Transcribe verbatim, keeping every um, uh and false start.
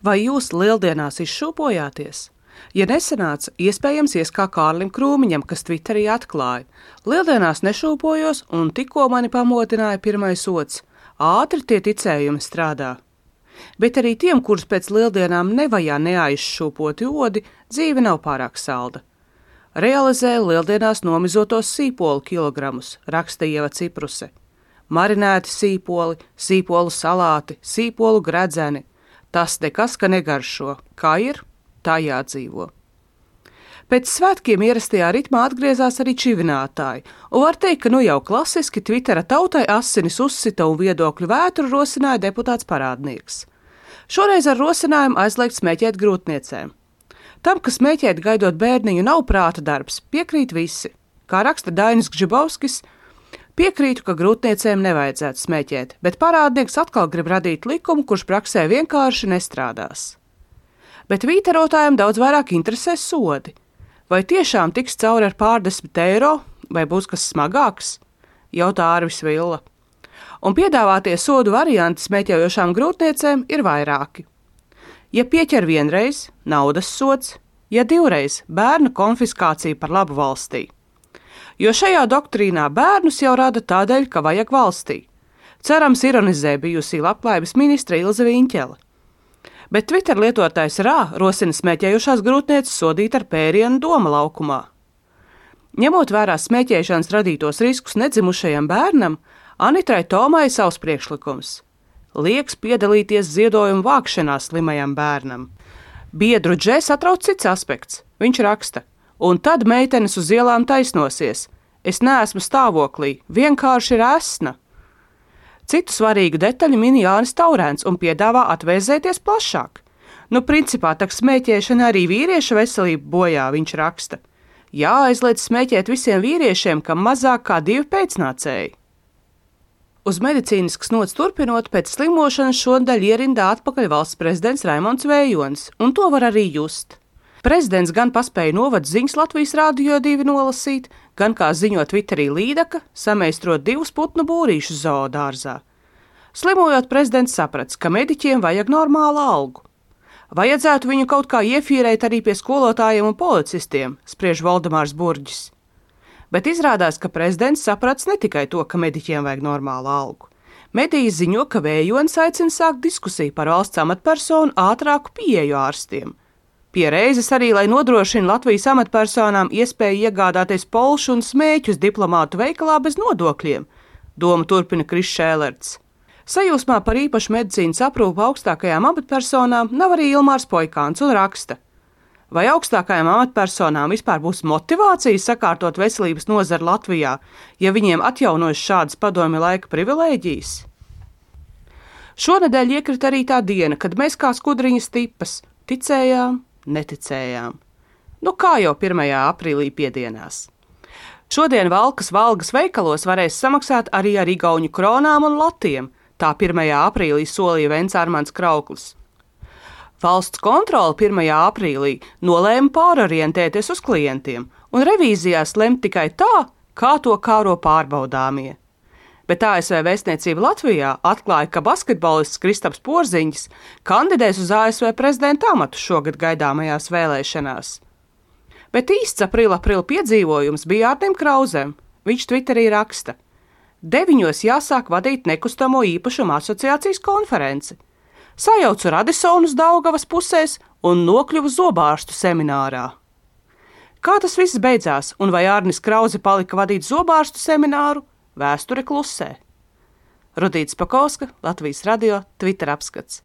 Vai jūs lieldienās izšūpojāties? Ja nesanāca, iespējams ies kā Kārlim Krūmiņam, kas Twitterī atklāja. Lieldienās nešūpojos un tikko mani pamodināja pirmais ots. Ātri tie ticējumi strādā. Bet arī tiem, kurus pēc lieldienām nevajā neaizšūpoti odi, dzīve nav pārāk salda. Realizēja lieldienās nomizotos sīpolu kilogramus, raksta Ieva Cipruse. Marinēti sīpoli, sīpolu salāti, sīpolu gredzeni. Tas nekas, ka negaršo. Kā ir, tā jādzīvo. Pēc svētkiem ierastajā ritmā atgriezās arī čivinātāji, un var teikt, ka nu jau klasiski Twittera tautai asinis uzsita un viedokļu vētru rosināja deputāts Parādnieks. Šoreiz ar rosinājumu aizliegt smēķēt grūtniecēm. Tam, ka smēķēt gaidot bērniņu nav prāta darbs, piekrīt visi. Kā raksta Dainis Gžibovskis, piekrītu, ka grūtniecēm nevajadzētu smēķēt, bet Parādnieks atkal grib radīt likumu, kurš praksē vienkārši nestrādās. Bet vītarotājiem daudz vairāk interesē sodi. Vai tiešām tiks cauri ar pārdesmit eiro, vai būs kas smagāks? Jautā Ārvis Villa. Un piedāvātie sodu varianti smēķējošām grūtniecēm ir vairāki. Ja pieķer vienreiz, naudas sods, ja divreiz, bērnu konfiskācija par labu valstī. Jo šajā doktrīnā bērnus jau rada tādēļ, ka vajag valstī. Cerams, ironizē bijusī labklājības ministre Ilze Viņķele. Bet Twitter lietotājs Rā rosina smēķējušās grūtnieces sodīt ar pērienu Doma laukumā. Ņemot vērā smēķēšanas radītos riskus nedzimušajam bērnam, Anitrai Tomai savs priekšlikums. Lieks piedalīties ziedojumu vākšanā slimajam bērnam. Biedru džē satrauc cits aspekts. Viņš raksta, un tad meitenes uz ielām taisnosies. Es neesmu stāvoklī, vienkārši ir esna. Citu svarīgu detaļu min Jānis Taurēns un piedāvā atvēzēties plašāk. Nu, principā, tak smēķēšana arī vīrieša veselību bojā, viņš raksta. Jāaizliedz smēķēt visiem vīriešiem, kam mazāk kā divi pēcnācēji. Uz medicīniskas nots turpinot, pēc slimošanas šonadēļ ierindā atpakaļ valsts prezidents Raimonds Vējonis, un to var arī just. Prezidents gan paspēja novadu ziņas Latvijas Rādio divi nolasīt, gan, kā ziņo Twitterī Līdaka, sameistrot divus putnu būrīšus zoodārzā. Slimojot, prezidents saprats, ka mediķiem vajag normālu algu. Vajadzētu viņu kaut kā iefīrēt arī pie skolotājiem un policistiem, spriež Valdemārs Burģis. Bet izrādās, ka prezidents saprats ne tikai to, ka mediķiem vajag normālu algu. Mediji ziņo, ka Vējonis aicina sākt diskusiju par valsts amatpersonu ātrāku pieeju ārstiem. Pie reizes arī, lai nodrošina Latvijas amatpersonām iespēju iegādāties polšu un smēķus diplomātu veikalā bez nodokļiem, doma turpina Kris Šēlerts. Sajūsmā par īpašu medicīnas aprūpu augstākajām amatpersonām nav arī Ilmārs Poikāns un raksta. Vai augstākajām amatpersonām vispār būs motivācija sakārtot veselības nozari Latvijā, ja viņiem atjaunojas šādas padomju laika privilēģijas? Šonedēļ iekrita arī tā diena, kad mēs kā skudriņas tipas ticējām, neticējām. Nu kā jau pirmajā aprīlī piedienās. Šodien Valkas Valgas veikalos varēs samaksāt arī ar igauņu kronām un latiem, tā pirmajā aprīlī solīja Vents Armands Krauklis. Valsts kontrole pirmajā aprīlī nolēma pārorientēties uz klientiem un revīzijās lemt tikai tā, kā to kāro pārbaudāmie. Bet A S V vēstniecība Latvijā atklāja, ka basketbolists Kristaps Porziņģis kandidēs uz A S V prezidenta amatu šogad gaidāmajās vēlēšanās. Bet īsts aprila aprila piedzīvojums bija Ārtim Krauzem. Viņš Twitterī raksta. Deviņos jāsāk vadīt nekustamo īpašumu asociācijas konferenci. Sajaucu Radisonus Daugavas pusēs un nokļuvu zobārstu seminārā. Kā tas viss beidzās un vai Ārnis Krauze palika vadīt zobārstu semināru, vēsture klusē. Rudīts Pakovska, Latvijas Radio, Twitter apskats.